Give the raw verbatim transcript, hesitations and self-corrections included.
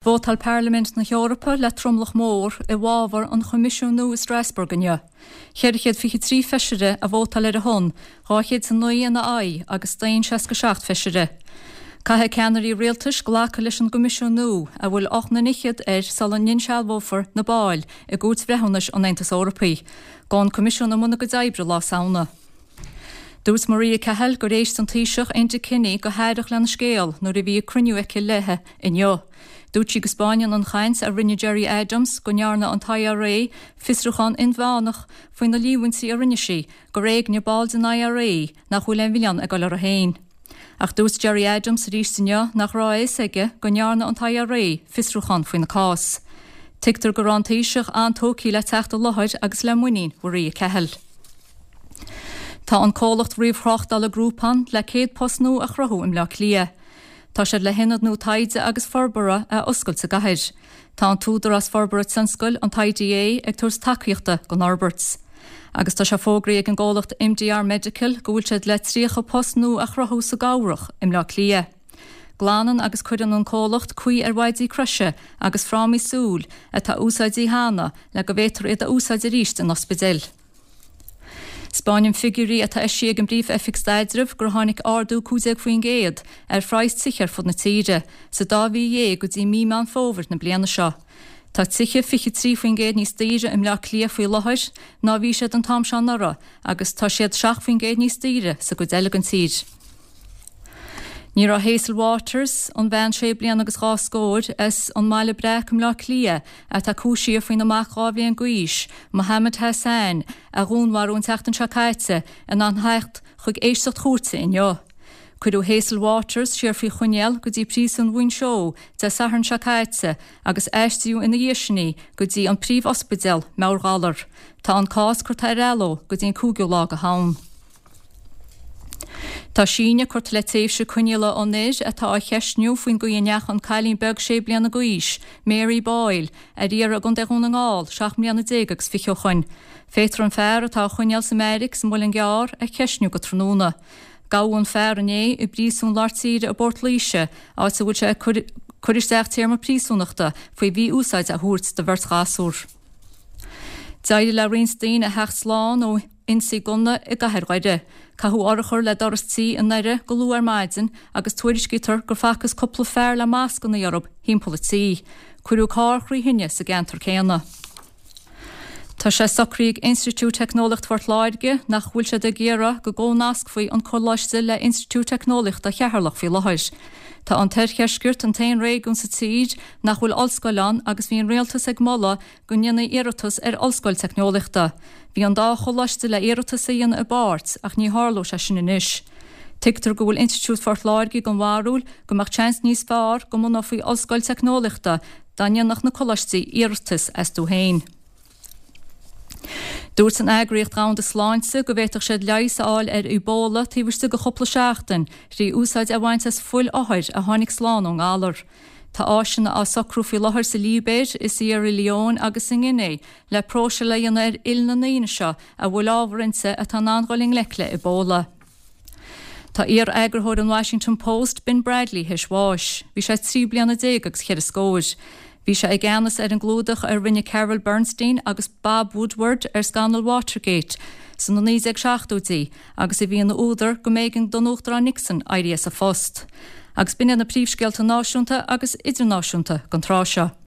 Vótáil Parlaimint na hEorpa le tromlach mór i bhfabhar an Choimisiúin nua i Strasbourg inniu. Ceithre chéad fiche trí feisire a vótáil ar a shon, dhá chéad is a naoi ina aghaidh agus staon seasca seacht feisire. Caithfidh ceannairí rialtais glacadh leis an gCoimisiún nua a bhfuil ocht nDoiciméad air sula n-insealbhófar na baill i gCúirt Bhreithiúnais an Aontais Eorpaigh. Gabhann an Coimisiún i mbun a gcuid oibre Lá Samhna. Dúirt Maria Cahill gur éist an Taoiseach Enda Kenny go haireach lena scéal nuair a bhí ag cruinniú aici léi inniu. Dúirt sí go spáineann an chaint a rinne Gerry Adams go ndearna an t-I R A fiosrúchán inmheánach faoi na líomhaintí a rinne sí gur éignigh ball den I R A nach bhfuil aon mhilleán ag dul orthu féin. Ach dúirt Gerry Adams arís inniu nach raibh a fhios aige go ndearna an t-I R A fiosrúchán faoina cás. Tuigtear go raibh an Taoiseach an-tógtha le teacht i láthair agus le muinín Mharia Cahill. Tá an comhlacht ríomhthráchtála Groupon le céad post nua a chruthú i mBleá Cliath. Tá siad le hionad nua taighde agus forbartha a oscailt sa gcathair. Tá an tÚdarás Forbartha Tionscail, an I D A, ag tabhairt tacaíochta don fhorbairt. Agus tá sé fógraithe ag an gcomhlacht M D R Medical go bhfuil siad le tríocha post nua a chruthú sa gCabhrach i mBleá Cliath. Glanann agus cuireann an comhlacht caoi ar mhaidí croise agus frámaí súl atá úsáidte cheana le go bhféadfar iad a úsáid arís in ospidéil. Spáineann figiúirí atá eisithe ag an bPríomh-Oifig Staidrimh gur tháinig ardú cúig déag faoin gcéad ar phraghas tithe ar fud na tíre sa dá mhí dhéag go dtí mí Meán Fómhair na bliana seo. Tá tithe fiche trí faoin gcéad níos daoire i mBleá Cliath faoi láthair ná bhí siad an t-am seo anuraidh agus tá siad seacht faoin gcéad níos daoire sa gcuid eile den tír. Ní raibh Hazel Waters, an bhean sé bliana agus dhá scór as an mBaile Breac i mBleá Cliath atá cúisithe faoina mac dhá bhliain d'aois, Mohammed Hassan, a dhúnmharú an tseachtain seo caite, in ann theacht chuig éisteacht chúirte inniu. Cuireadh Hazel Waters siar faoi choinneáil go dtí príosún Mhuinseo Dé Sathairn seo caite agus aistríodh ina dhiaidh sin í go dtí an príomh-ospidéal meabhairghalar. Tá an cás curtha ar athló go dtí an cúigiú lá de Shamhain. Tá síneadh curtha le tréimhse coinneála an fhir atá á cheisniú faoin gcaoi a ndeachaigh an cailín beag sé bliana d'aois, Mary Boyle, ar iarraidh i gContae Dhún na nGall, seacht mbliana déag agus fiche ó shin. Féadfar an fear atá á choinneáil sa mbeairic sa Mhuileann gCearr a cheisniú go tráthnóna. Gabhadh an fear inné i bpríosún lár tíre i bPort Laoise, áit a bhfuil sé ag cur isteach téarma príosúnachta faoi mhí-úsáid a thabhairt do bheirt ghasúr. D'éirigh le roinnt daoine a theacht slán ó ionsaí gunna i gcathair Dhoire. Caitheadh urchar le doras tí i nDoire go luath ar maidin agus tuairiscítear gur facthas cúpla fear le mascanna orthu timpeall an tí. Cuireadh carr trí thine sa gceantar céanna. Tá sé socraithe ag Institiúid Teicneolaíochta Phort Láirge nach bhfuil siad ag iarraidh go gcomhnascfaí an coláiste le Institiúid Teicneolaíochta Cheatharlach faoi láthair. Tá an tOirdheisceart an t-aon réigiún sa tír nach bhfuil ollscoil ann agus bhí an rialtas ag moladh go ndéanfaí iarratas ar ollscoil teicneolaíochta. Bhí an dá choláiste le iarratas a dhéanamh i bpáirt ach ní tharlóidh sé sin anois. Tuigtear go bhfuil Institiúid Phort Láirge den bharúil go mbeadh seans níos fearr go mbunófaí ollscoil teicneolaíochta dá ndéanfadh na coláistí iarratas astu féin. Dúirt an Eagraíocht Dhomhanda Sláinte go bhféadfadh siad leigheas a fháil ar Ebola taobh istigh de chúpla seachtain trí úsáid a bhaint as fuil othair a tháinig slán ón ngalar. Tá áiseanna á socrú faoi láthair sa Libéir, i Sierra Leone agus i nGuinea le próiseáil a dhéanamh ar fhuil na ndaoine seo a bhfuil ábhar inti atá in ann dul i ngleic le Ebola. Tá iar-eagarthóir an Washington Post Ben Bradley théis bháis. Bhí sé trí bliana déag agus cheithre scór. Bhí sé i gceannas ar an gclúdach a rinne Carol Bernstein agus Bob Woodward ar scannal Watergate sna naoi déag seachtóidí agus a bhí ina údar go mb'éigean don Uachtarán Nixon éirí as a phost. Agus b'in na príomhscéalta náisiúnta agus idirnáisiúnta don tráth seo.